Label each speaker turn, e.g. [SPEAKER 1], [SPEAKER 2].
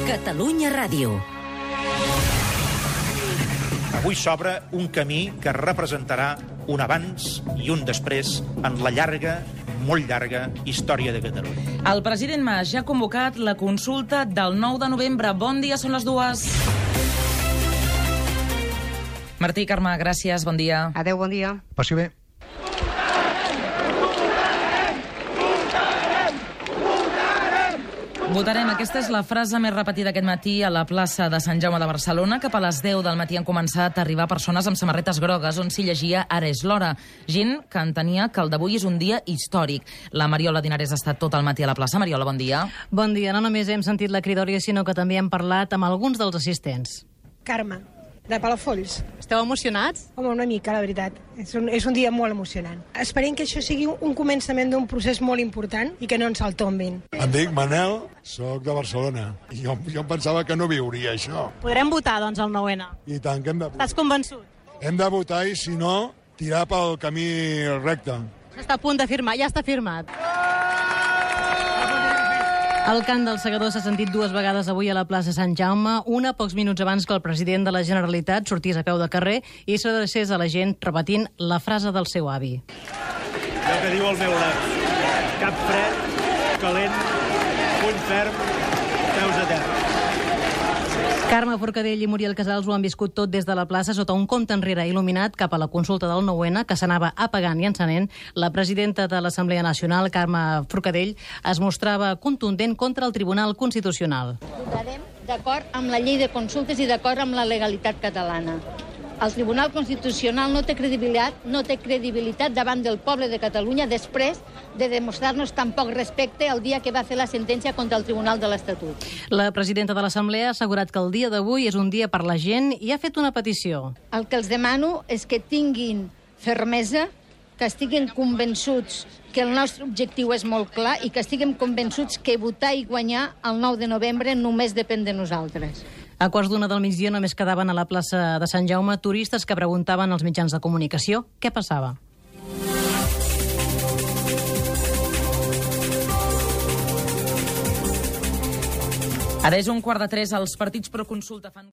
[SPEAKER 1] Catalunya Ràdio.
[SPEAKER 2] Avui s'obre un camí que representarà un abans i un després en la llarga, molt llarga, història de Catalunya.
[SPEAKER 3] El president Mas ja ha convocat la consulta del 9 de novembre. Bon dia, són les 2. Martí, Carme, gràcies, bon dia.
[SPEAKER 4] Adéu, bon dia.
[SPEAKER 5] Passi bé.
[SPEAKER 3] Votarem. Aquesta és la frase més repetida aquest matí a la plaça de Sant Jaume de Barcelona. Cap a les 10 del matí han començat a arribar persones amb samarretes grogues on s'hi llegia "Ara és l'hora". Gent que entenia que el d'avui és un dia històric. La Mariola Dinares ha estat tot el matí a la plaça. Mariola, bon dia.
[SPEAKER 6] Bon dia. No només hem sentit la cridòria, sinó que també hem parlat amb alguns dels assistents.
[SPEAKER 7] Carme, de Palafolls.
[SPEAKER 6] Esteu emocionats?
[SPEAKER 7] Home, una mica, la veritat. És un dia molt emocionant. Esperem que això sigui un començament d'un procés molt important i que no ens el tombin.
[SPEAKER 8] Em dic Manel, soc de Barcelona. Jo em pensava que no viuria això.
[SPEAKER 6] Podrem votar, doncs, el 9-N.
[SPEAKER 8] I tant que hem de votar.
[SPEAKER 6] Estàs convençut?
[SPEAKER 8] Hem de votar i, si no, tirar pel camí recte.
[SPEAKER 6] Està a punt de firmar. Ja està firmat. El cant del segador s'ha sentit 2 vegades avui a la plaça Sant Jaume, una pocs minuts abans que el president de la Generalitat sortís a peu de carrer i s'adrecés a la gent repetint la frase del seu avi.
[SPEAKER 9] El que diu el meu avi: cap fred, calent, puny ferm, peus a terra.
[SPEAKER 6] Carme Forcadell i Muriel Casals ho han viscut tot des de la plaça sota un compte enrere il·luminat cap a la consulta del 9-N, que s'anava apagant i encenent. La presidenta de l'Assemblea Nacional, Carme Forcadell, es mostrava contundent contra el Tribunal Constitucional.
[SPEAKER 10] Votarem d'acord amb la llei de consultes i d'acord amb la legalitat catalana. El Tribunal Constitucional no té credibilitat davant del poble de Catalunya després de demostrar-nos tan poc respecte el dia que va fer la sentència contra el Tribunal de l'Estatut.
[SPEAKER 6] La presidenta de l'Assemblea ha assegurat que el dia d'avui és un dia per la gent i ha fet una petició.
[SPEAKER 10] El que els demano és que tinguin fermesa, que estiguin convençuts que el nostre objectiu és molt clar i que estiguem convençuts que votar i guanyar el 9 de novembre només depèn de nosaltres.
[SPEAKER 6] A 12:15 del migdia només quedaven a la plaça de Sant Jaume turistes que preguntaven als mitjans de comunicació què passava.
[SPEAKER 3] Ara és 2:15. Els partits pro consulta fan...